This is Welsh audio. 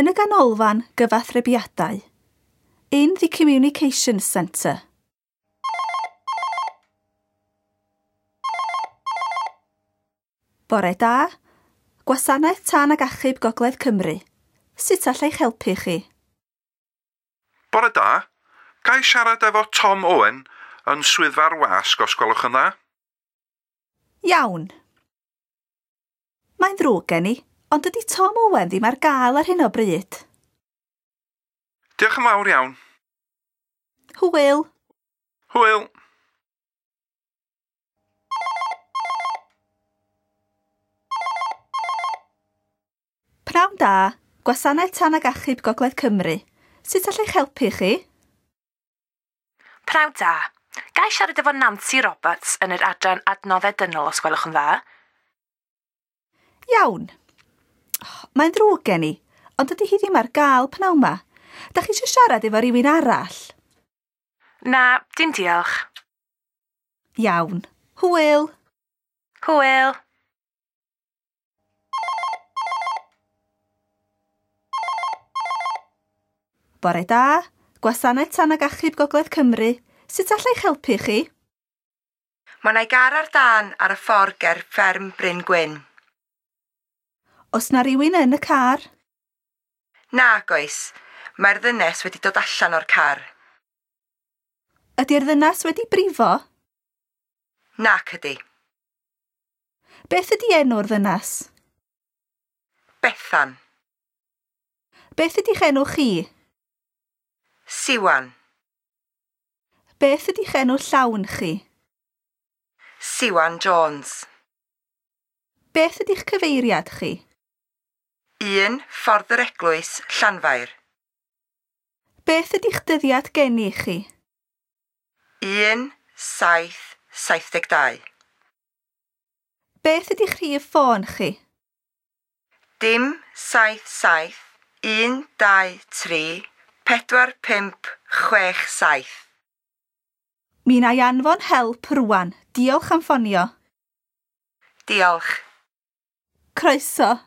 Yn y ganolfan gyfathrebiadau. In the Communications Centre. Bore da, Gwasanaeth Tân ac Achub Gogledd Cymru. Sut alla i'ch helpu chi? Bore da. Ga i siarad efo Tom Owen yn swyddfa'r wasg os gwelwch yn dda? Iawn. Mae'n ddrwg gen i, ond dydy Tom Owen ddim ar gael ar hyn o bryd. Diolch yn fawr iawn. Hwyl. Hwyl. Pnawn da, Gwasanaeth Tân ac Achub Gogledd Cymru. Sut alla i'ch helpu chi? Pnawn da. Ga i siarad efo Nancy Roberts yn yr adran Adnoddau Dynol os gwelwch yn dda? Iawn. Mae'n ddrwg gen i, ond dydy hi ddim ar gael pnawn 'ma. Da chi eisiau siarad efo rhywun arall? Na, dim diolch. Iawn. Hwyl. Hwyl. Bore da, Gwasanaeth Tân ac Achub Gogledd Cymru. Sut alla i'ch helpu chi? Mae 'na gar ar dân ar y ffordd ger fferm Bryn Gwyn. Oes 'na rywun yn y car? Nag oes, mae'r ddynes wedi dod allan o'r car. Ydy'r ddynas wedi brifo? Nac ydy. Beth ydy enw'r ddynas? Bethan. Beth ydy'ch enw chi? Siwan. Beth ydy'ch enw llawn chi? Siwan Jones. Beth ydy'ch cyfeiriad chi? 1 Ffordd yr Eglwys, Llanfair. Beth ydy'ch dyddiad geni chi? 1 7 72. Beth ydy'ch rhif ffôn chi? Dim 7 7 1 2 3 4 5 6 7. Mi wna i anfon help rwan. Diolch am ffonio. Diolch. Croeso.